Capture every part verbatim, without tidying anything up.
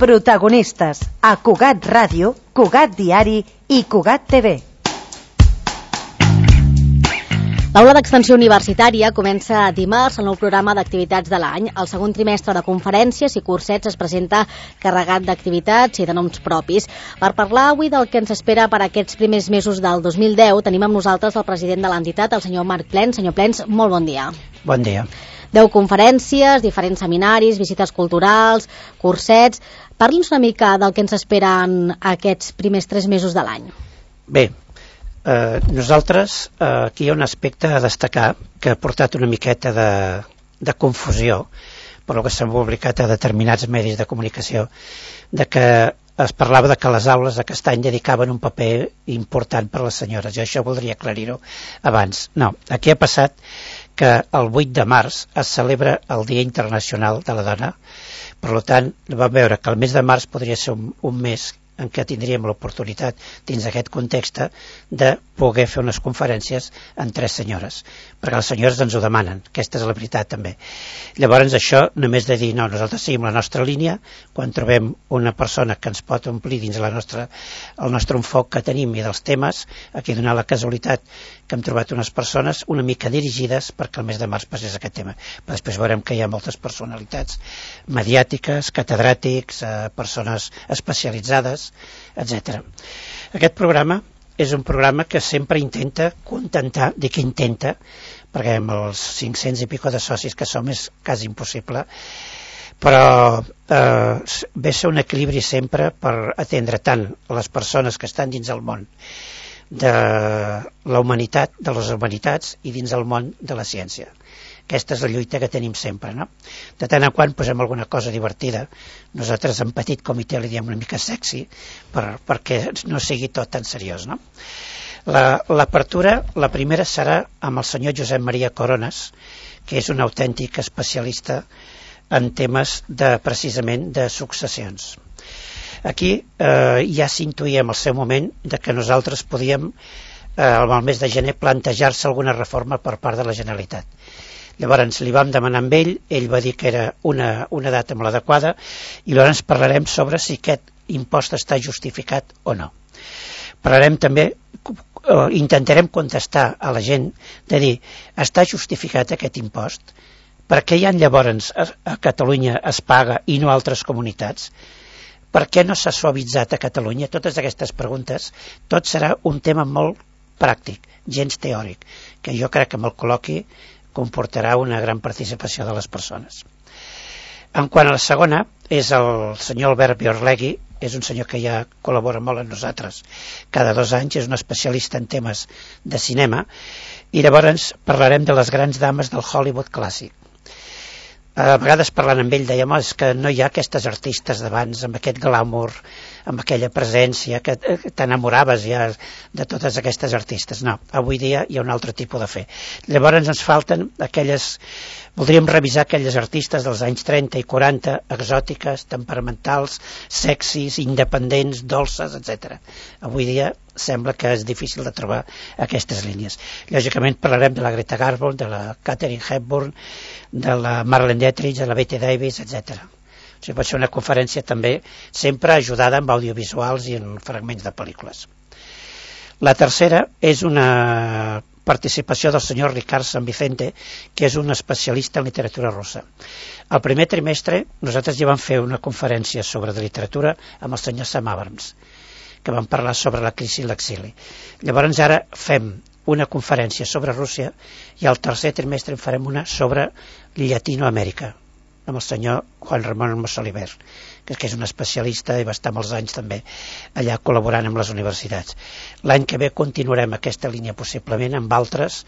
Protagonistes a Cugat Ràdio, Cugat Diari i Cugat T V. L'aula d'extensió universitària comença dimarts el nou programa d'activitats de l'any. El segon trimestre de conferències i cursets es presenta carregat d'activitats i de noms propis. Per parlar avui del que ens espera per aquests primers mesos del dos mil deu, tenim amb nosaltres el president de l'entitat, el senyor Marc Plens. Senyor Plens, molt bon dia. Bon dia. Deu conferències, diferents seminaris, visites culturals, cursets. Parli'ns una mica del que ens esperen aquests primers tres mesos de l'any. Bé, eh, nosaltres eh, aquí hi ha un aspecte a destacar que ha portat una miqueta de, de confusió per el que s'ha publicat a determinats medis de comunicació, de que es parlava de que les aules aquest any dedicaven un paper important per a les senyores. Jo això voldria aclarir-ho abans. No, aquí ha passat que el vuit de març es celebra el Dia Internacional de la Dona. Per tant, vam veure que el mes de març podria ser un, un mes en què tindríem l'oportunitat, dins d'aquest context, de poder fer unes conferències amb tres senyores, perquè les senyores ens ho demanen, aquesta és la veritat també. Llavors això, només de dir, no, nosaltres seguim la nostra línia, quan trobem una persona que ens pot omplir dins la nostra, el nostre enfoc que tenim i dels temes, aquí he donat la casualitat que hem trobat unes persones una mica dirigides perquè el mes de març passés aquest tema. Però després veurem que hi ha moltes personalitats mediàtiques, catedràtics, eh, persones especialitzades, etcètera. Aquest programa és un programa que sempre intenta contentar, dic que intenta, perquè amb els cinc-cents i pico de socis que som és quasi impossible, però eh, ve a ser un equilibri sempre per atendre tant les persones que estan dins el món de la humanitat, de les humanitats i dins el món de la ciència. Aquesta és la lluita que tenim sempre, no? De tant en quant posem alguna cosa divertida. Nosaltres en petit comitè li diem una mica sexy per, perquè no sigui tot tan seriós, no? L'apertura, la, la primera serà amb el senyor Josep Maria Corones, que és un autèntic especialista en temes de, precisament de successions. Aquí eh, ja s'intuïa en el seu moment de que nosaltres podíem, eh, al mes de gener, plantejar-se alguna reforma per part de la Generalitat. Llavors li vam demanar amb ell, ell va dir que era una, una data molt adequada i llavors parlarem sobre si aquest impost està justificat o no. Parlarem també, intentarem contestar a la gent de dir, està justificat aquest impost? Per què ja llavors a, a Catalunya es paga i no a altres comunitats? Per què no s'ha suavitzat a Catalunya? Totes aquestes preguntes, tot serà un tema molt pràctic, gens teòric, que jo crec que amb el col·loqui comportarà una gran participació de les persones. En quant a la segona, és el senyor Albert Biorlegui, és un senyor que ja col·labora molt amb nosaltres cada dos anys, és un especialista en temes de cinema, i llavors parlarem de les grans dames del Hollywood clàssic. A vegades parlant amb ell dèiem, oh, és que no hi ha aquestes artistes d'abans amb aquest glamour, amb aquella presència que t'enamoraves ja de totes aquestes artistes. No, avui dia hi ha un altre tipus de fer. Llavors ens falten aquelles, voldríem revisar aquelles artistes dels anys trenta i quaranta, exòtiques, temperamentals, sexis, independents, dolces, etcètera. Avui dia sembla que és difícil de trobar aquestes línies. Lògicament parlarem de la Greta Garbo, de la Katharine Hepburn, de la Marlene Dietrich, de la Bette Davis, etcètera. O sigui, pot ser una conferència també sempre ajudada amb audiovisuals i en fragments de pel·lícules. La tercera és una participació del senyor Ricard San Vicente, que és un especialista en literatura russa. Al primer trimestre nosaltres ja vam fer una conferència sobre de literatura amb el senyor Sam Abrams, que vam parlar sobre la crisi i l'exili. Llavors ara fem una conferència sobre Rússia i al tercer trimestre en farem una sobre Llatinoamèrica, amb el senyor Juan Ramón Mosoliver, que és un especialista i va estar molts anys també allà col·laborant amb les universitats. L'any que ve continuarem aquesta línia possiblement amb altres,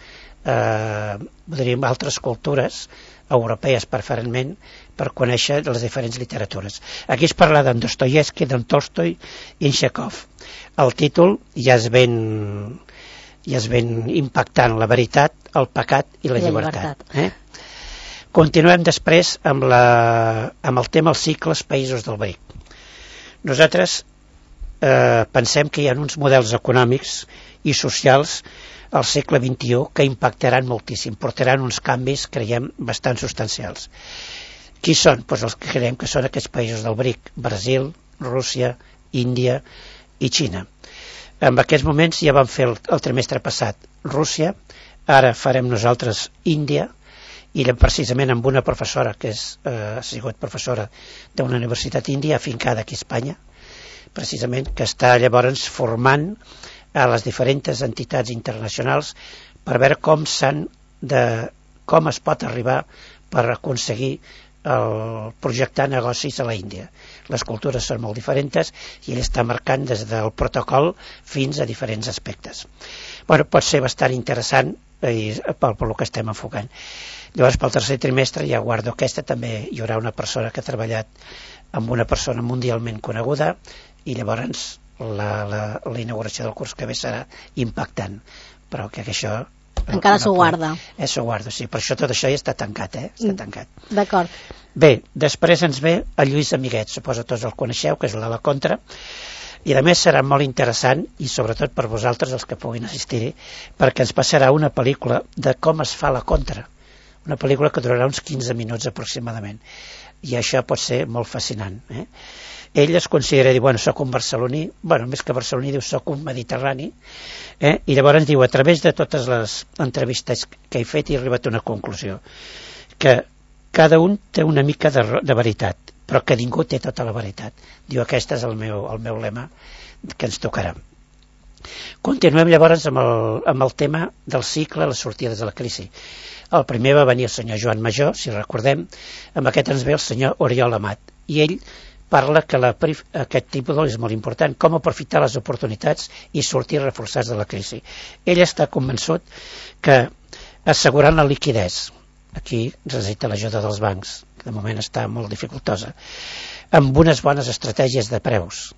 eh, diríem, altres cultures europees preferentment per conèixer les diferents literatures. Aquí es parla d'en Dostoievski, d'en Tolstoi i en Chekhov. El títol ja es ben, ja es ben impactant, la veritat, el pecat i la, I la llibertat. llibertat. Eh? Continuem després amb, la, amb el tema els cicles països del B R I C. Nosaltres eh, pensem que hi ha uns models econòmics i socials al segle vint-i-u que impactaran moltíssim, portaran uns canvis, creiem, bastant substancials. Qui són? Pues els que creiem que són aquests països del B R I C, Brasil, Rússia, Índia i Xina. En aquests moments ja vam fer el, el trimestre passat Rússia, ara farem nosaltres Índia, i precisament amb una professora que és, eh, ha sigut professora d'una universitat índia afincada aquí a Espanya, precisament, que està llavors formant a les diferents entitats internacionals per veure com s'han de, com es pot arribar per aconseguir el projectar negocis a la Índia. Les cultures són molt diferents i ell està marcant des del protocol fins a diferents aspectes. Bueno, pot ser bastant interessant i, pel, pel que estem enfocant. Llavors, pel tercer trimestre ja guardo aquesta, també hi haurà una persona que ha treballat amb una persona mundialment coneguda i llavors la, la, la inauguració del curs que ve serà impactant, però que això encara s'ho guarda. Eh, s'ho guarda, sí, per això tot això ja està tancat, eh? Està tancat. D'acord. Bé, després ens ve el Lluís Amiguet, suposo tots el coneixeu, que és el de la Contra, i a més serà molt interessant, i sobretot per vosaltres, els que puguin assistir-hi, perquè ens passarà una pel·lícula de com es fa la Contra, una pel·lícula que durarà uns quinze minuts aproximadament, i això pot ser molt fascinant, eh? Ell es considera, diu, bueno, soc un barceloní, bueno, més que barceloní, diu, soc un mediterrani, eh? I llavors diu, a través de totes les entrevistes que he fet he arribat a una conclusió, que cada un té una mica de, de veritat, però que ningú té tota la veritat. Diu, aquest és el meu, el meu lema que ens tocarà. Continuem llavors amb el, amb el tema del cicle, les sortides de la crisi. El primer va venir el senyor Joan Major, si recordem, amb aquest ens ve el senyor Oriol Amat, i ell parla que la, aquest tipus és molt important, com aprofitar les oportunitats i sortir reforçats de la crisi. Ell està convençut que assegurant la liquidez, aquí necessita l'ajuda dels bancs, que de moment està molt dificultosa, amb unes bones estratègies de preus,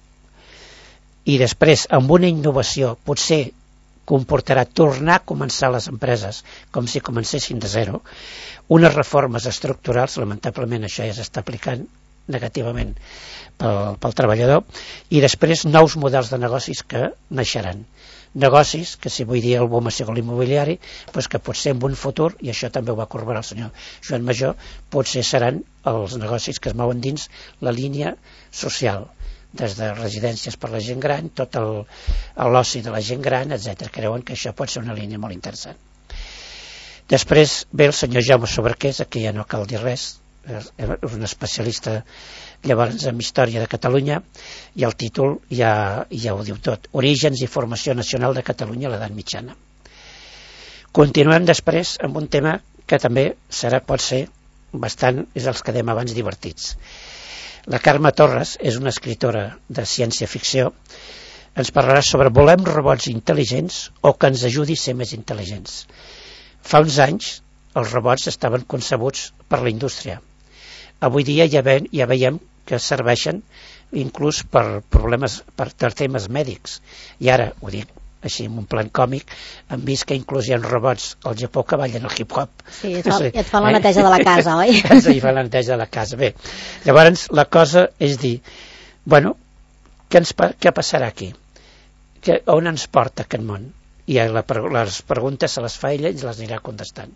i després amb una innovació, potser comportarà tornar a començar les empreses com si comencessin de zero, unes reformes estructurals, lamentablement això ja s'està aplicant negativament pel, pel treballador, i després nous models de negocis que naixeran. Negocis que, si vull dir el boom ha sigut l'immobiliari, doncs que potser en un futur, i això també ho va corroborar el senyor Joan Major, potser seran els negocis que es mouen dins la línia social, des de residències per la gent gran, tot l'oci de la gent gran, etcètera. Creuen que això pot ser una línia molt interessant. Després ve el senyor Jaume Soberqués, aquí ja no cal dir res, és un especialista llavors en història de Catalunya, i el títol ja, ja ho diu tot: Orígens i formació nacional de Catalunya a l'edat mitjana. Continuem després amb un tema que també serà, pot ser bastant, és els que dèiem abans, divertits. La Carme Torres és una escritora de ciència-ficció, ens parlarà sobre volem robots intel·ligents o que ens ajudi a ser més intel·ligents. Fa uns anys els robots estaven concebuts per la indústria. Avui dia ja, ve, ja veiem que serveixen inclús per problemes, per temes mèdics. I ara, ho dic així en un plan còmic, hem vist que inclús hi ha robots al Japó que ballen el hip-hop. Sí, et, fa, sí, et fan la neteja eh? de la casa, oi? Sí, fan la neteja de la casa. Bé, llavors la cosa és dir, bueno, què, ens, què passarà aquí? Que, on ens porta aquest món? I la, les preguntes se les fa ella i les anirà contestant.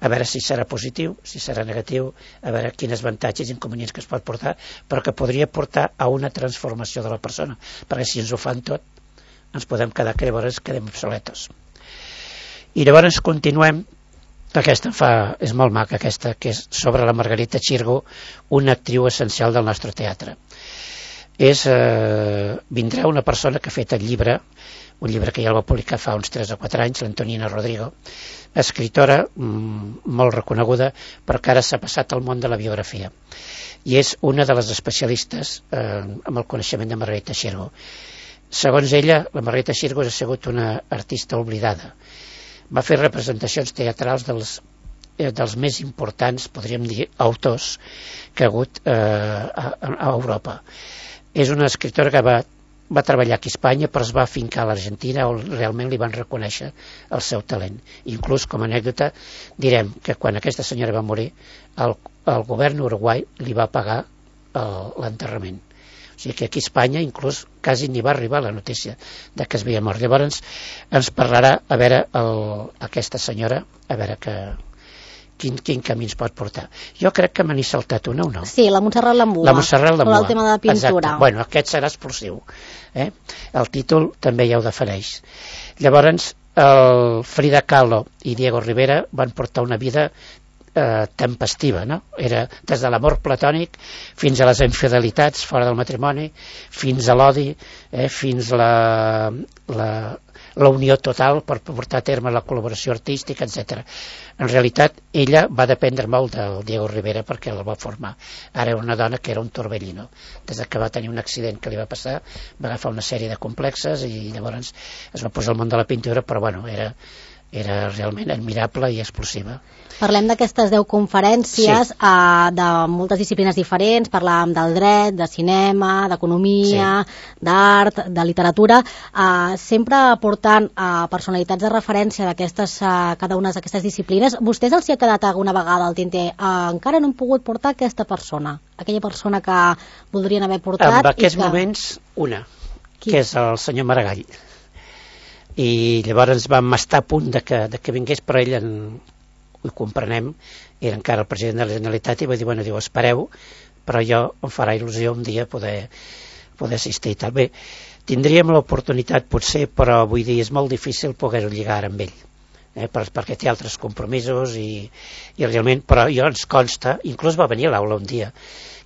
A veure si serà positiu, si serà negatiu, a veure quins avantatges i inconvenients que es pot portar, però que podria portar a una transformació de la persona, perquè si ens ho fan tot, ens podem quedar que llavors quedem obsoletos. I llavors continuem, aquesta fa, és molt maca aquesta, que és sobre la Margarita Xirgo, una actriu essencial del nostre teatre. És, eh, vindrà una persona que ha fet el llibre, un llibre que ja el va publicar fa uns tres o quatre anys, l'Antonina Rodrigo, escritora mm, molt reconeguda, però que ara s'ha passat al món de la biografia. I és una de les especialistes eh, amb el coneixement de Margarita Xirgo. Segons ella, la Margarita Xirgo ha sigut una artista oblidada. Va fer representacions teatrals dels, eh, dels més importants, podríem dir, autors que ha hagut eh, a, a Europa. És una escriptora que va, va treballar aquí a Espanya, però es va afincar a l'Argentina, on realment li van reconèixer el seu talent. Inclús, com a anècdota, direm que quan aquesta senyora va morir, el, el govern uruguai li va pagar l'enterrament. O sigui que aquí a Espanya inclús quasi ni va arribar la notícia de que es havia mort. Llavors ens parlarà a veure el, aquesta senyora, a veure què, quin, quin camí ens pot portar. Jo crec que me n'he saltat una o no? Sí, la Montserrat Lambua. La Montserrat Lambua. El tema de la pintura. Exacte. Bueno, aquest serà explosiu. Eh? El títol també ja ho defineix. Llavors, el Frida Kahlo i Diego Rivera van portar una vida eh, tempestiva, no? Era des de l'amor platònic fins a les infidelitats fora del matrimoni, fins a l'odi, eh, fins a la, la, la unió total per portar a terme la col·laboració artística, etcètera. En realitat, ella va dependre molt del Diego Rivera perquè la va formar. Ara era una dona que era un torbellino. Des que va tenir un accident que li va passar, va agafar una sèrie de complexes i llavors es va posar al món de la pintura, però bueno, era, era realment admirable i explosiva. Parlem d'aquestes deu conferències, sí. uh, de moltes disciplines diferents, parlàvem del dret, de cinema, d'economia, sí. d'art, de literatura, uh, sempre portant uh, personalitats de referència d'aquestes, uh, cada una d'aquestes disciplines. Vostès els hi ha quedat alguna vegada al tinter? Uh, encara no hem pogut portar aquesta persona, aquella persona que voldrien haver portat. En aquests i que... moments, una, Qui? que és el senyor Maragall. I llavors vam estar a punt de que, de que vingués, però ell en... ho comprenem, era encara el president de la Generalitat i va dir, bueno, diu, espereu, però jo em farà il·lusió un dia poder, poder assistir i tal. Bé, tindríem l'oportunitat potser, però vull dir, és molt difícil poder-ho lligar amb ell, eh, per, perquè té altres compromisos i, i realment, però jo ens consta, inclús va venir a l'aula un dia,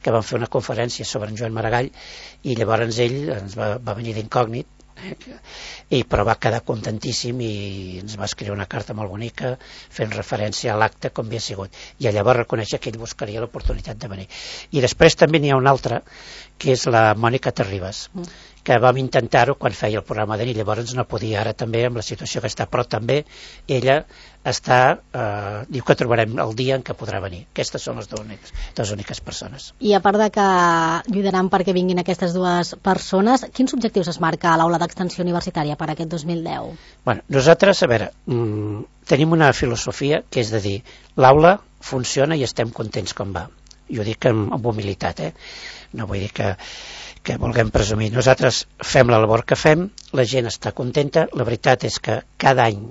que vam fer una conferència sobre en Joan Maragall i llavors ell ens va, va venir d'incògnit, i però va quedar contentíssim i ens va escriure una carta molt bonica fent referència a l'acte com havia sigut, i llavors reconèixer que ell buscaria l'oportunitat de venir. I després també n'hi ha una altra, que és la Mònica Terribas, que vam intentar-ho quan feia el programa de nit, llavors no podia, ara també amb la situació que està, però també ella està, eh, diu que trobarem el dia en què podrà venir. Aquestes són les dues úniques, dues úniques persones. I a part de que lluitaran perquè vinguin aquestes dues persones, quins objectius es marca a l'aula d'extensió universitària per aquest dos mil deu? Bueno, nosaltres, a veure, mmm, tenim una filosofia que és de dir, l'aula funciona i estem contents com va. I ho dic amb, amb humilitat, eh? No vull dir que, que vulguem presumir. Nosaltres fem la labor que fem, la gent està contenta, la veritat és que cada any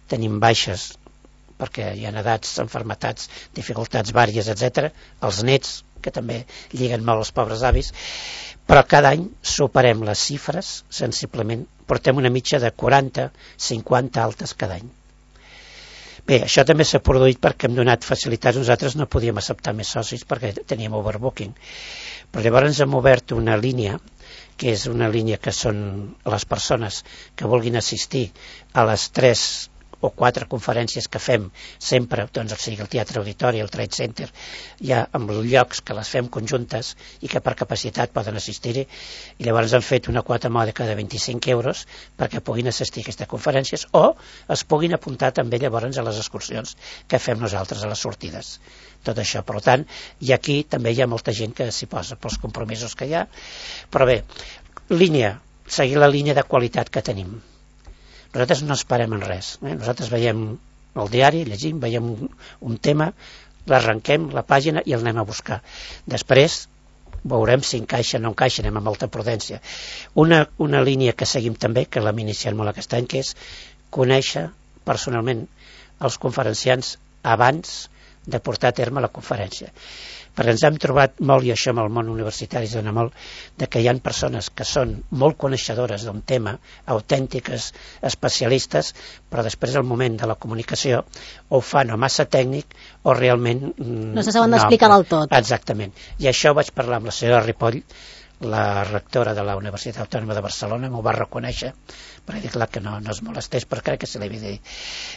tenim baixes perquè hi ha edats, enfermetats, dificultats vàries, etcètera, els nets, que també lliguen molt els pobres avis, però cada any superem les xifres sensiblement, portem una mitja de quaranta cinquanta altes cada any. Bé, això també s'ha produït perquè hem donat facilitats, nosaltres no podíem acceptar més socis perquè teníem overbooking, però llavors hem obert una línia, que és una línia que són les persones que vulguin assistir a les tres o quatre conferències que fem sempre, doncs, o sigui, el Teatre Auditori, el Trade Center, ja amb llocs que les fem conjuntes i que per capacitat poden assistir-hi, i llavors han fet una quota mòdica de vint-i-cinc euros perquè puguin assistir a aquestes conferències o es puguin apuntar també llavors a les excursions que fem nosaltres a les sortides. Tot això, per tant, i aquí també hi ha molta gent que s'hi posa pels compromisos que hi ha, però bé, línia, seguir la línia de qualitat que tenim. Nosaltres no esperem en res, eh? Nosaltres veiem el diari, llegim, veiem un, un tema, l'arrenquem, la pàgina, i el anem a buscar. Després veurem si encaixa o no encaixa, anem amb molta prudència. Una, una línia que seguim també, que l'hem iniciat molt aquest any, que és conèixer personalment els conferenciants abans de portar a terme la conferència. Perquè ens hem trobat molt, i això amb el món universitari es dona molt, de que hi ha persones que són molt coneixedores d'un tema, autèntiques, especialistes, però després al moment de la comunicació o ho fan o massa tècnic o realment... No se saben d'explicar del tot. Exactament. I això vaig parlar amb la senyora Ripoll, la rectora de la Universitat Autònoma de Barcelona, m'ho va reconèixer, però he dit clar que no, no es molestés, però crec que se l'he dit.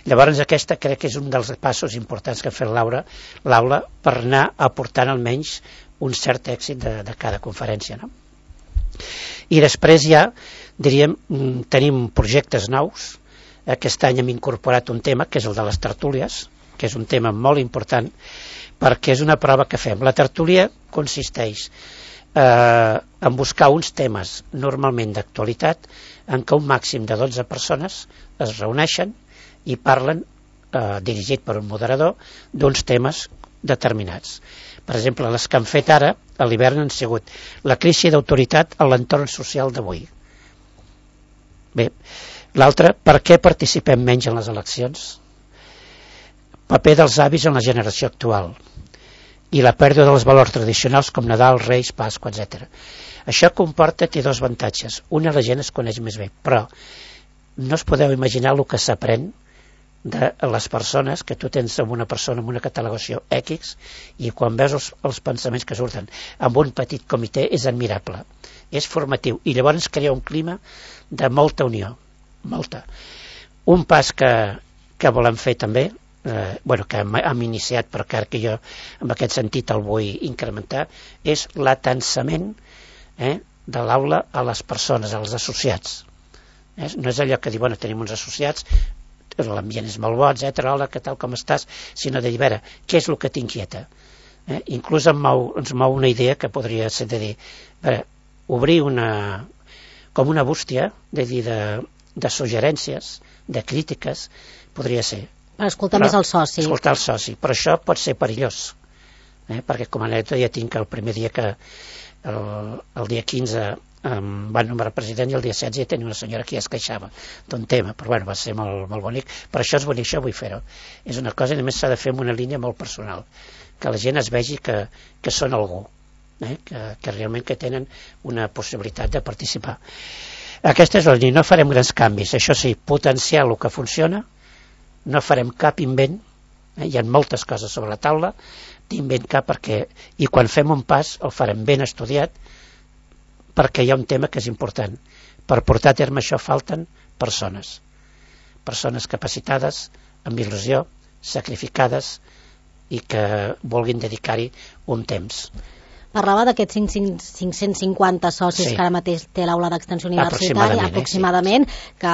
Llavors aquesta crec que és un dels passos importants que ha fet l'aula, l'aula per anar aportant almenys un cert èxit de, de cada conferència, no? I després ja, diríem, tenim projectes nous. Aquest any hem incorporat un tema, que és el de les tertúlies, que és un tema molt important, perquè és una prova que fem. La tertúlia consisteix Eh, en buscar uns temes normalment d'actualitat en què un màxim de dotze persones es reuneixen i parlen, eh, dirigit per un moderador, d'uns temes determinats. Per exemple, les que han fet ara a l'hivern han sigut la crisi d'autoritat a l'entorn social d'avui. Bé, l'altre, per què participem menys en les eleccions? paper dels avis en la generació actual i la pèrdua dels valors tradicionals com Nadal, Reis, Pasqua, etcètera. Això comporta, té dos avantatges. Una, la gent es coneix més bé, però no us podeu imaginar el que s'aprèn de les persones, que tu tens amb una persona amb una catalogació X, i quan veus els, els pensaments que surten amb un petit comitè és admirable, és formatiu, i llavors crea un clima de molta unió, molta. Un pas que, que volem fer també, eh, bueno, que hem, hem iniciat, però que, que jo en aquest sentit el vull incrementar, és l'atansament eh, de l'aula a les persones, als associats. Eh? No és allò que diu, bueno, tenim uns associats, l'ambient és molt bo, etcètera, hola, què tal, com estàs, sinó de dir, a veure, què és el que t'inquieta? Eh? Inclús em mou, ens mou una idea que podria ser de dir, a veure, obrir una, com una bústia, de dir, de, de suggerències, de crítiques, podria ser. Per escoltar però, més el soci. Escoltar el soci, però això pot ser perillós, eh? Perquè com a anècdota ja tinc el primer dia que, el, el dia quinze, em van nombrar president, i el dia setze ja tenia una senyora que ja es queixava d'un tema, però bueno, va ser molt, molt bonic, però això és bonic, això vull fer-ho, és una cosa, i a més s'ha de fer amb una línia molt personal, que la gent es vegi que, que són algú, eh? que, que realment que tenen una possibilitat de participar. Aquesta és la línia, no farem grans canvis, això sí, potenciar el que funciona, no farem cap invent, eh? Hi ha moltes coses sobre la taula, d'invent cap, perquè, i quan fem un pas el farem ben estudiat, perquè hi ha un tema que és important. Per portar a terme això falten persones. Persones capacitades, amb il·lusió, sacrificades i que vulguin dedicar-hi un temps. Parlava d'aquests cinc-cents cinquanta socis, sí, que ara mateix té l'aula d'extensió universitària, aproximadament, eh, sí, que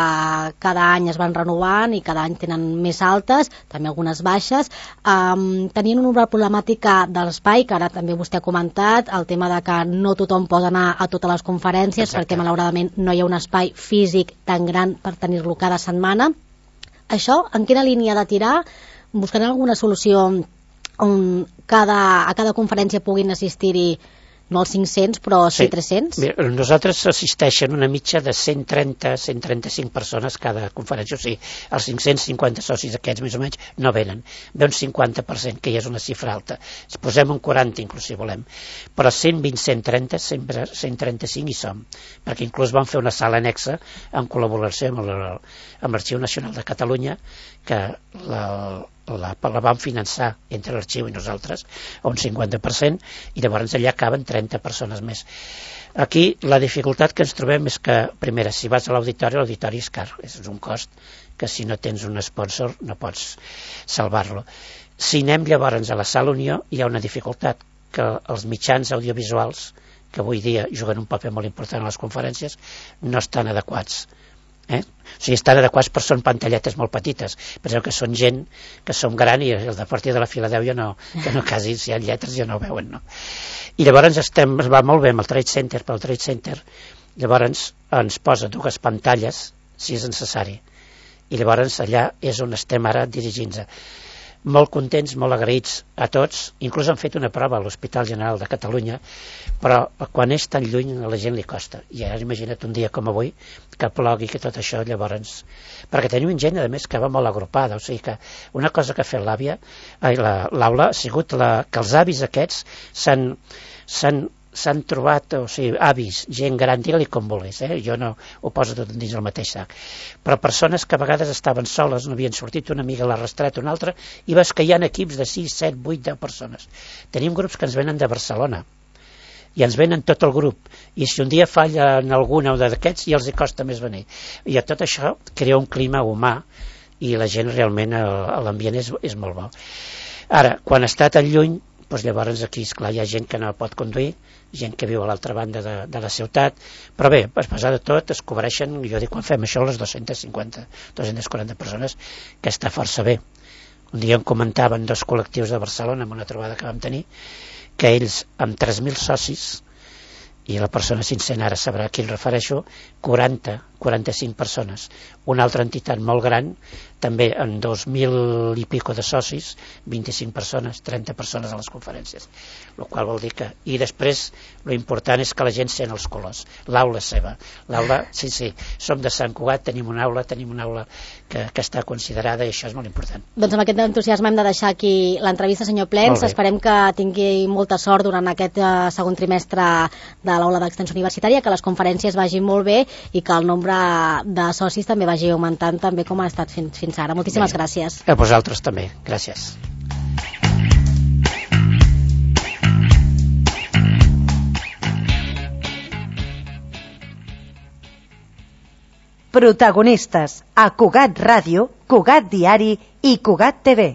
cada any es van renovant i cada any tenen més altes, també algunes baixes. Um, tenien una problemàtica de l'espai, que ara també vostè ha comentat, el tema de que no tothom pot anar a totes les conferències. Exacte. Perquè malauradament no hi ha un espai físic tan gran per tenir-lo cada setmana. Això, en quina línia de tirar? Buscarem alguna solució on cada, a cada conferència puguin assistir-hi no els cinc-cents, però sí, sí tres-cents? Mira, nosaltres assisteixen una mitja de cent trenta a cent trenta-cinc persones cada conferència, o sigui, els cinc-cents cinquanta socis aquests més o menys no venen, ve un cinquanta per cent, que ja és una xifra alta, si posem un quaranta inclús si volem, però cent vint a cent trenta, cent trenta-cinc hi som, perquè inclús vam fer una sala annexa en col·laboració amb l'Arxiu Nacional de Catalunya, que la, la, la vam finançar entre l'arxiu i nosaltres a un cinquanta per cent, i llavors allà caben trenta persones més. Aquí la dificultat que ens trobem és que, primera, si vas a l'auditori, l'auditori és car, és un cost que si no tens un sponsor no pots salvar-lo. Si anem llavors a la Sala Unió, hi ha una dificultat, que els mitjans audiovisuals, que avui dia juguen un paper molt important a les conferències, no estan adequats. Eh? O sigui, estan adequats, però són pantalletes molt petites. Penseu que són gent que som gran i els de partir de la fila deu ja no, que no quasi, si hi ha lletres ja no ho veuen, no? I llavors estem, es va molt bé amb el Trade Center, però el Trade Center llavors ens posa dues pantalles si és necessari, i llavors allà és on estem ara dirigint-nos. Molt contents, molt agraïts a tots, inclús han fet una prova a l'Hospital General de Catalunya, però quan és tan lluny a la gent li costa, i ara imagina't un dia com avui que plogui, que tot això llavors, perquè tenim gent a més que va molt agrupada, o sigui que una cosa que ha fet l'àvia, l'aula ha sigut la, que els avis aquests s'han s'han s'han trobat, o sigui, avis, gent gran, digue-li com vulguis, eh? Jo no ho poso tot dins el mateix sac, però persones que a vegades estaven soles, no havien sortit, una amiga l'ha arrastrat, una altra, i veus que hi ha equips de sis, set, vuit, deu persones. Tenim grups que ens venen de Barcelona, i ens venen tot el grup, i si un dia falla en alguna d'aquests, ja els hi costa més venir. I a tot això crea un clima humà, i la gent realment, l'ambient és, és molt bo. Ara, quan està tan lluny, doncs llavors aquí, esclar, hi ha gent que no pot conduir, gent que viu a l'altra banda de, de la ciutat, però bé, a pesar de tot es cobreixen, jo dic, quan fem això, les dues-centes cinquanta, dues-centes quaranta persones, que està força bé. Un dia em comentaven dos col·lectius de Barcelona en una trobada que vam tenir, que ells amb tres mil socis, i la persona sincera ara sabrà a qui em refereixo, quaranta, quaranta-cinc persones. Una altra entitat molt gran també en dos mil i pico de socis, vint-i-cinc persones, trenta persones a les conferències, el qual vol dir que... I després, lo important és que la gent sent els colors, l'aula és seva, l'aula, sí, sí, som de Sant Cugat, tenim una aula, tenim una aula que, que està considerada i això és molt important. Doncs amb aquest entusiasme hem de deixar aquí l'entrevista, senyor Plens. Esperem que tingui molta sort durant aquest uh, segon trimestre de l'aula d'extensió universitària, que les conferències vagin molt bé i que el nombre de socis també vagi augmentant també com ha estat fins, fins ara. Moltíssimes bé. Gràcies. A vosaltres també. Gràcies. Protagonistes a Cugat Ràdio, Cugat Diari i Cugat T V.